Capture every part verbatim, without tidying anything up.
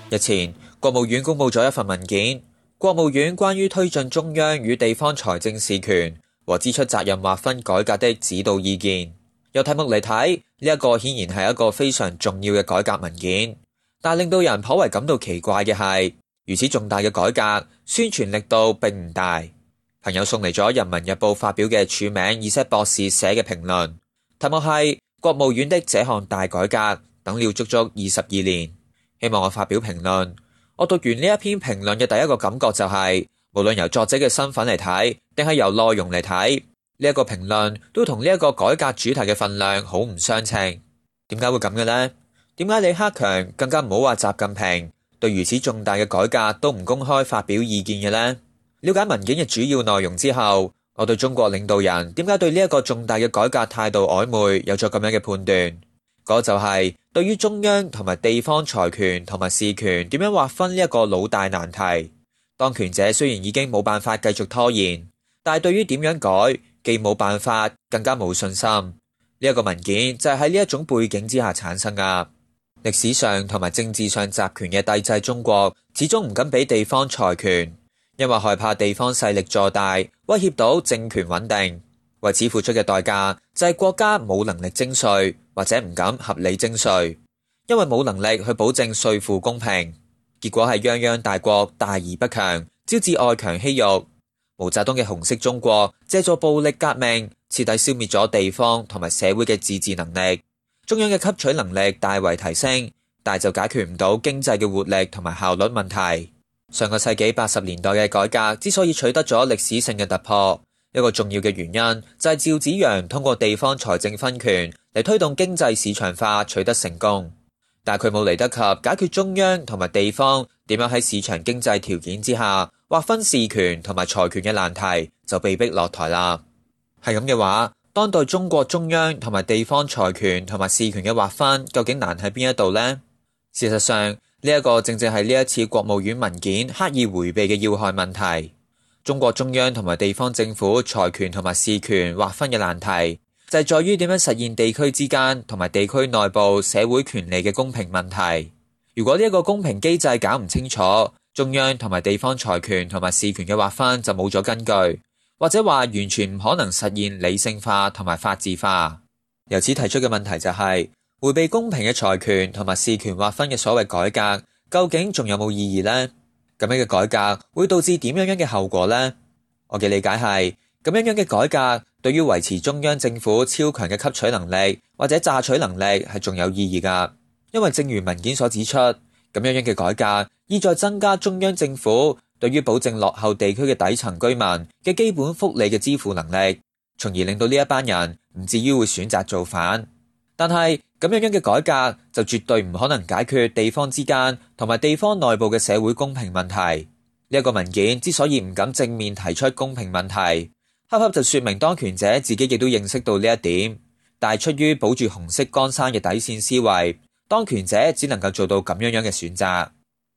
日前，國務院公布咗一份文件，國務院關於推進中央與地方財政事權和支出責任劃分改革的指導意見。由題目嚟睇，呢一個顯然係一個非常重要嘅改革文件，但令到人頗為感到奇怪嘅係，如此重大嘅改革，宣傳力度並唔大。朋友送嚟咗《人民日報》發表嘅署名以些博士寫嘅評論，題目係國務院的這項大改革等了足足二十二年。希望我發表評論。我讀完呢一篇評論嘅第一個感覺就係、是，無論由作者嘅身份嚟睇，定係由內容嚟睇，呢、這、一個評論都同呢一個改革主題嘅份量好唔相稱。點解會咁嘅呢？點解李克強更加唔好話習近平對如此重大嘅改革都唔公開發表意見嘅呢？了解文件嘅主要內容之後，我對中國領導人點解對呢一個重大嘅改革態度曖昧有咗咁樣嘅判斷。嗰個就係對於中央同埋地方財權同埋事權點樣劃分呢一個老大難題。當權者雖然已經冇辦法繼續拖延，但係對於點樣改，既冇辦法，更加冇信心。呢一個文件就係喺呢一種背景之下產生噶。歷史上同埋政治上集權嘅帝制中國，始終唔敢俾地方財權，因為害怕地方勢力坐大，威脅到政權穩定。為此付出嘅代價就係國家冇能力徵稅，或者唔敢合理徵稅，因為冇能力去保證稅負公平。結果係泱泱大國大而不強，招致外強欺弱。毛澤東嘅紅色中國借助暴力革命，徹底消滅咗地方同埋社會嘅自治能力。中央嘅吸取能力大為提升，但就解決唔到經濟嘅活力同埋效率問題。上個世紀八十年代嘅改革之所以取得咗歷史性嘅突破，一個重要嘅原因就係趙紫陽通過地方財政分權嚟推動經濟市場化取得成功，但佢冇嚟得及解決中央同埋地方點樣喺市場經濟條件之下劃分事權同埋財權嘅難題，就被逼落台啦。係咁嘅話，當代中國中央同埋地方財權同埋事權嘅劃分究竟難喺邊一度呢？事實上，呢一個正正係呢一次國務院文件刻意迴避嘅要害問題。中國中央同埋地方政府財權同埋事權劃分嘅難題，就係在於點樣實現地區之間同埋地區內部社會權利嘅公平問題。如果呢一個公平機制搞唔清楚，中央同埋地方財權同埋事權嘅劃分就冇咗根據，或者話完全唔可能實現理性化同埋法治化。由此提出嘅問題就係、是，迴避公平嘅財權同埋事權劃分嘅所謂改革，究竟仲有冇意義呢？咁樣嘅改革會導致點樣樣嘅後果呢？我嘅理解係，咁樣樣嘅改革對於維持中央政府超強嘅吸取能力或者榨取能力係仲有意義噶。因為正如文件所指出，咁樣樣嘅改革意在增加中央政府對於保證落後地區嘅底層居民嘅基本福利嘅支付能力，從而令到呢一班人唔至於會選擇造反。但係咁樣樣嘅改革就絕對唔可能解決地方之間同埋地方內部嘅社會公平問題。呢一個文件之所以唔敢正面提出公平問題，恰恰就說明當權者自己亦都認識到呢一點，但係出於保住紅色江山嘅底線思維，當權者只能夠做到咁樣樣嘅選擇。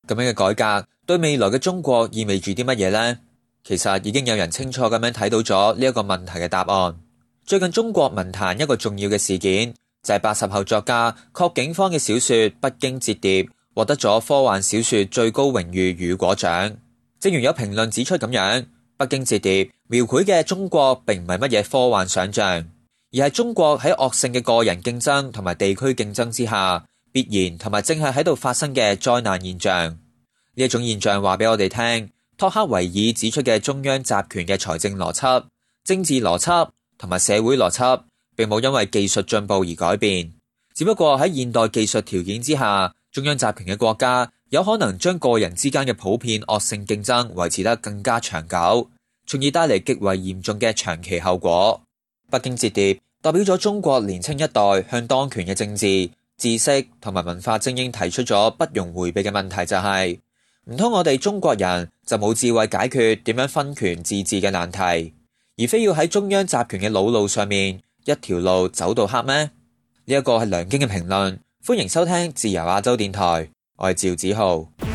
咁樣嘅改革對未來嘅中國意味住啲乜嘢呢？其實已經有人清楚咁樣睇到咗呢一個問題嘅答案。最近中國文壇一個重要嘅事件，就係八十後作家郝景芳嘅小說《北京折疊》獲得咗科幻小說最高榮譽雨果獎。正如有評論指出咁樣，《北京折疊》描繪嘅中國並唔係乜嘢科幻想象，而係中國喺惡性嘅個人競爭同埋地區競爭之下，必然同埋正係喺度發生嘅災難現象。呢一種現象話俾我哋聽，托克維爾指出嘅中央集權嘅財政邏輯、政治邏輯同埋社會邏輯，並冇因為技術進步而改變，只不過喺現代技術條件之下，中央集權嘅國家有可能將個人之間嘅普遍惡性競爭維持得更加長久，從而帶嚟極為嚴重嘅長期後果。北京折疊代表咗中國年輕一代向當權嘅政治、知識同埋文化精英提出咗不容迴避嘅問題，就係唔通我哋中國人就冇智慧解決點樣分權自治嘅難題，而非要喺中央集權嘅老路上面一條路走到黑咩？呢一個係梁京嘅評論，歡迎收聽自由亞洲電台，我係趙子浩。